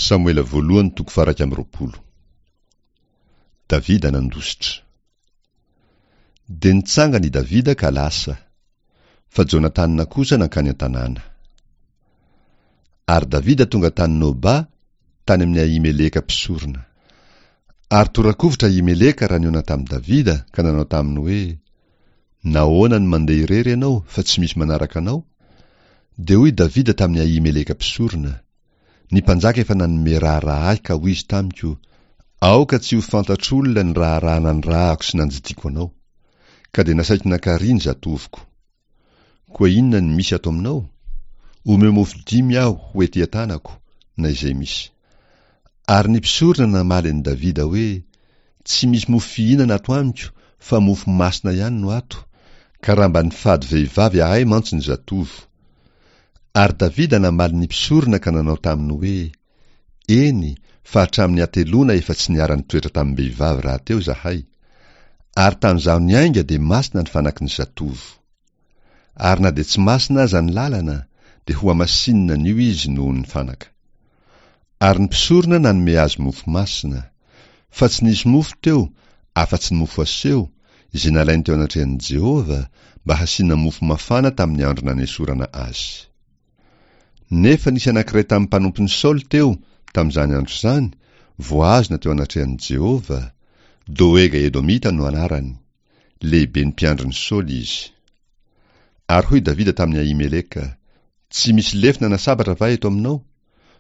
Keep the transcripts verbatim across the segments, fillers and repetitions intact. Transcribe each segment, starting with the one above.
Samoela voalohany toko faha-iraika amby roapolo. Davida nandositra. Dia nitsangana i Davida ka lasa, fa Jonatana kosa nankany an-tanàna. Ary Davida tonga tany Noba, tany amin'i Ahimeleka mpisorona. Ary tora-kovitra Ahimeleka raha nihaona tamin'i Davida ka nanao taminy hoe, Nahoana no mandeha irery ianao fa tsy misy manaraka anao? Dia hoy Davida tamin'i Ahimeleka mpisorona, Ny mpanjaka efa nanome raharaha ahy ka hoy izy tamiko, Aoka tsy ho fantatr'olona ny raharaha nanirahako sy nandidiako anao. Ka dia nasaiko nankarỳ ny zatovoko. Koa inona no misy ato aminao? Omeo mofo dimy aho ho ety an-tanako, na izay misy. Ary ny mpisorona namaly an'i Davida hoe, Tsy misy mofo fihinana ato amiko, fa mofo masina ihany no ato, ka raha mba nifady vehivavy ahay mantsy ny zatovo. Ary Davida namaly ny mpisorona ka nanao taminy hoe, Eny, fa hatramin'ny hateloana efa tsy niara-nitoetra tamim-behivavy rahateo izahay. Ary tamin'izaho niainga dia masina ny fanaky ny zatovo. Ary na dia tsy masina aza ny lalana, dia hohamasinina anio izy noho ny fanaka. Ary ny mpisorona nanome azy mofo masina. Fa tsy nisy mofo teo, afa-tsy ny mofo aseho, izay nalainy teo anatrehan'i Jehovah, mba hasiana mofo mafana tamin'ny andro nanesorana azy. Nefa nisy anankiray tamin'ny mpanompon'i Saoly teo, tamin'izany andro izany, voahazona teo anatrehan'i Jehovah, Doega Edomita no anarany, lehiben'ny mpiandrin'i Saoly izy. Ary hoy Davida tamin'i Ahimeleka, Tsy misy lefona na sabatra va eto aminao?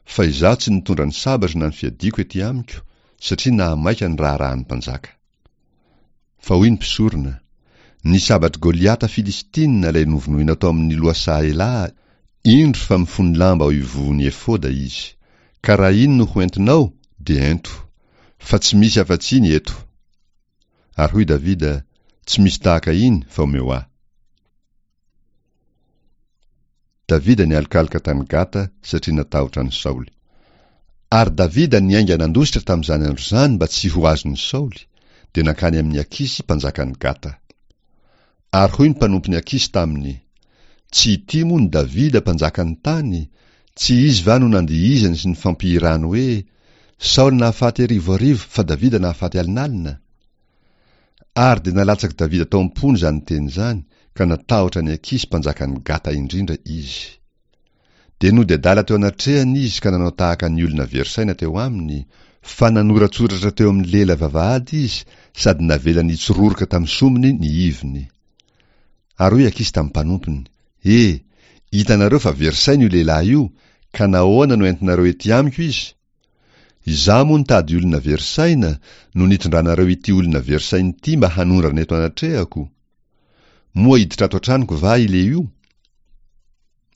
Fa izaho tsy nitondra ny sabatro na ny fiadiako ety amiko, satria nahamaika ny raharahan'ny mpanjaka. Fa hoy ny mpisorona, Ny sabatr'i Goliata Filistina ilay novonoinao tao amin'ny lohasaha Elaha, indro fa mifono lamba ao ivohon'ny efoda izy. Ka raha iny no ho entinao, dia ento. Fa tsy misy afa-tsy iny eto. Ary hoy Davida, Tsy misy tahaka iny, fa omeo ahy. Davida nialokaloka tany Gata satria natahotra an'i Saoly. Ary Davida niainga nandositra tamin'izany andro izany mba tsy ho azon'i Saoly, dia nankany amin'i Akisy mpanjakan'i Gata. Ary hoy ny mpanompon'i Akisy taminy, Tsy ity moa ny Davida mpanjakan'ny tany? Tsy izy va no nandihizany sy nifampihirany hoe, Saoly nahafaty arivo arivo fa Davida nahafaty alinalina? Ary dia nalatsak'i Davida tao am-pony izany teny izany, ka natahotra an'i Akisy mpanjakan'i Gata indrindra izy. Dia nody adala teo anatrehany izy ka nanao tahaka ny olona very saina teo aminy, fa nanoratsoratra teo amin'ny lela vavahady izy sady navelany hitsororoka tamin'ny sombiny ny iviny. Ary hoy Akisy tamin'ny mpanompony, E! Hitanareo fa very saina io lehilahy io, ka nahoana no entinareo ety amiko izy? Izaho moa nitady olona very saina no nitondranareo ity olona very saina ity mba hanondrana eto anatrehako? Moa hiditra ato an-tranoko va ilehio?